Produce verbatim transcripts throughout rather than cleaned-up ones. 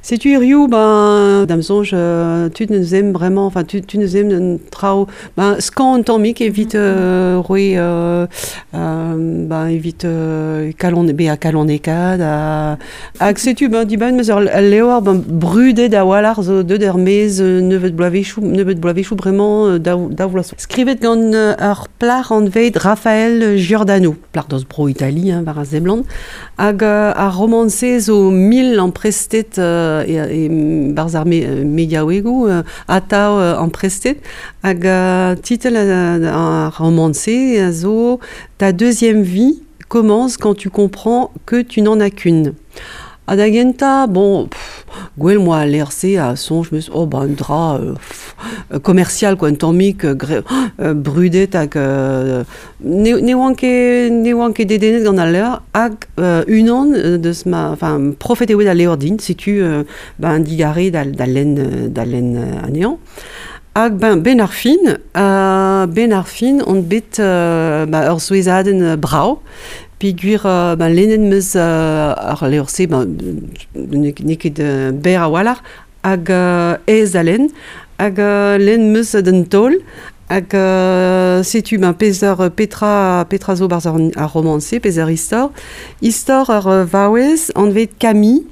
Setu hiziv, ben, da'm soñj, euh, tud neus ezhomm bremañ, enfin tud, tud neus ezhomm un traoù, ben, skañv un tammig evit euh, roiñ euh, euh, ben, evit euh, kalon, bezañ kalonekaat ha, hag setu, ben, dibaoe 'm eus ur levr ben, brudet a-walc'h zo deuet er-maez nebeut bloavezhioù, nebeut bloavezhioù bremañ daou, daou vloaz. Skrivet gant ur plac'h anvet Raphaëlle Giordano, plac'h deus bro Itali, hein, war a seblant, hag euh, ar romant-se zo mil amprestet euh, e, e barzh ar me, mediaouegoù euh, atav euh, amprestet hag euh, titl ar romant-se a zo Ta deuxième vie commence quand tu comprends que tu n'en as qu'une. Ha da gentañ, bon, pff, gwell 'moa al levr-se a soñj 'meus, oh ben un dra euh, pff, commercial quoi, un tammig euh, euh, brudet hag euh, ne, ne oan ket, ne oan ket dedennet gant al levr hag euh, unan deus ma, enfin, profet eo bet al levr din, setu euh, ben digarez da, da lenn, da lenn anezhañ. Hag ben, ben ar fin, euh, ben ar fin on bet euh, ba, ur souezhadenn brav, peogwir euh, ben, lennet 'meus euh, ar levr-se, ben, n'eo ket euh, berr a-walc'h, hag euh, aes da lenn, hag euh, lenn 'meus d'un taol, hag euh, setu ben, peseurt petra, petra zo barzh ar, ar romant-se, peseurt istor. Istor ur vaouez anvet Camille,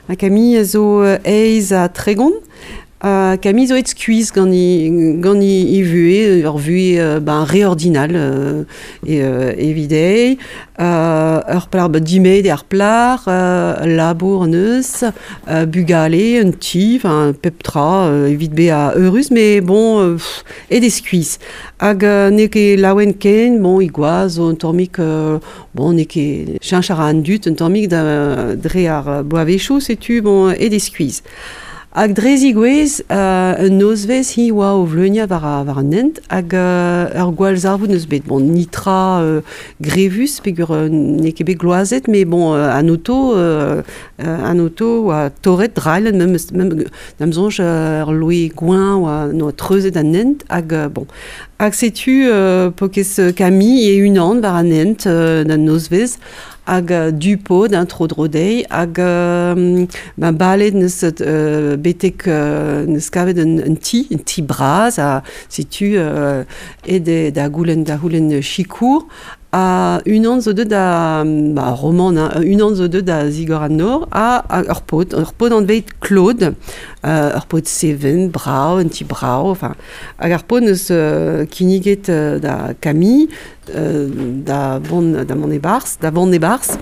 ha Camille a zo eizh ha tregont, Uh, Camille zo aet skuizh gant he, gant he, he vuhez, ur vuhez euh, ben, re ordinal euh, e, euh, evit dezhi. Euh, ur plac'h ben, dimezet eo ar plac'h, euh, labour neus, euh, bugale, un ti, enfin, pep tra, euh, evit bezañ eurus, mais bon, euh, pff, aet eo skuizh. Hag euh, n'eo ket laouen ken, bon, he gwaz zo un tammig, euh, bon, n'eo ket cheñch a ra an dud un tammig da, dre ar bloavezhioù, setu, bon, aet eo skuizh. Hag dre zigouez, euh, un nozvezh hi oa o vleuniañ war, a, war an hent, hag euh, ur gwallzarvoud neus bet. Bon, nitra euh, grevus, peogwir euh, n'eo ket bet gloazet, mais bon, euh, an oto, euh, an oto oa torret drailhet, mem, mem, da'm soñj ur loe gweñv oa, noa treuzet an hent, hag euh, bon. Hag setu euh, paourkaezh Camille e-unan war an hent euh, d'an nozvezh, hag euh, du-pod, un tro-dro dezhi, hag euh, ben, balet neus euh, betek euh, neus kavet un, un ti, un ti bras, ha setu euh, aet eo da goulenn da c'houlenn sikour, ha unan zo deuet da, ba, romant, hein, unan zo deuet da zigor an nor, ha, ha ur paotr, ur paotr anvet Claude, euh, ur paotr seven, brav, un ti brav, enfin, hag ar paotr neus euh, kinniget euh, da Camille, euh, da vont da mont e-barzh, da vont e-barzh,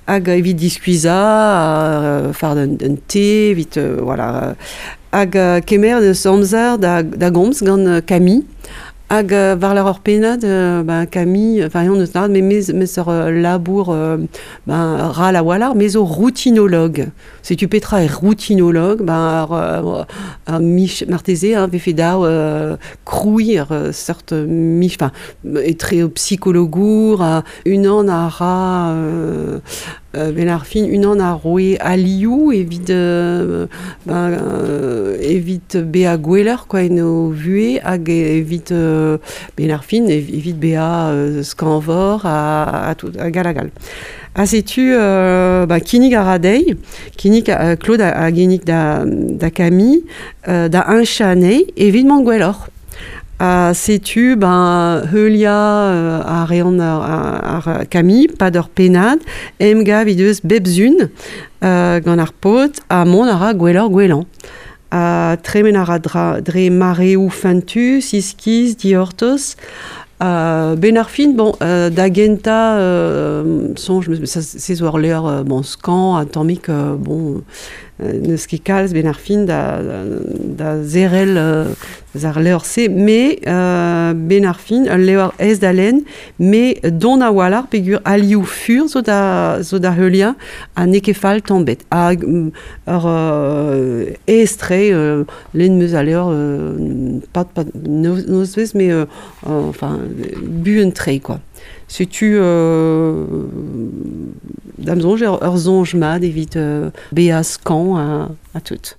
hag evit diskuizhañ, euh, fardañ un, un te, evit, euh, voilà, hag euh, kemer neus amzer da, da gomz gant euh, Camille, hag euh, war-lerc'h ur pennad, euh, ben, Camille, enfin, on eus lâret, mais me, me ur euh, labour euh, ben, ral a-walc'h, me zo routinologue. Setu petra eo routinologue, ben, ar, ar, ar mich, marteze, hein, vefe dav euh, krouiñ ur euh, seurt mich, enfin, etre psikologour, ha unan a ra euh, euh, ben ar fin unan a roe alioù evit euh, ben, euh, evit bezañ gwelloc'h quoi en o vuhez hag evit euh, ben ar fin evit bezañ euh, skañvoc'h ha, ha tout hag all hag all. Ha setu euh, ba, kinnig a ra dezhi, kinnig euh, Claude a, a ginnig da, da Camille euh, da heñchañ anezhi evit mont gwelloc'h. Ha setu ben, heuliañ euh, a reont ar, ar, ar Camille, pad ur pennad, emgav he deus bep sizhun euh, gant ar paotr ha mont a ra gwelloc'h gwellañ. Ha tremen a ra dra, dre mareoù fentus, iskis, dic'hortoz. Euh, ben ar fin, bon, euh, da gentañ, euh, soñj, ça, se zo ur levr euh, bon, skañv, un tammig, euh, bon, euh, n'eus ket kalz ben ar fin da, da zerrel euh, ar levr-se, mais euh, ben ar fin, ul levr aes da lenn, mais don a-walc'h peogwir alioù fur zo da, zo da heuliañ ha n'eo ket fall tamm ebet. Hag ur euh, aes-tre, euh, lenn 'meus al levr, euh, pas, pas nozvezh, mais euh, enfin, buan-tre, quoi. Setu euh, da'm soñj ur, ur soñj mat evit euh, bezañ skañv ha, ha tout.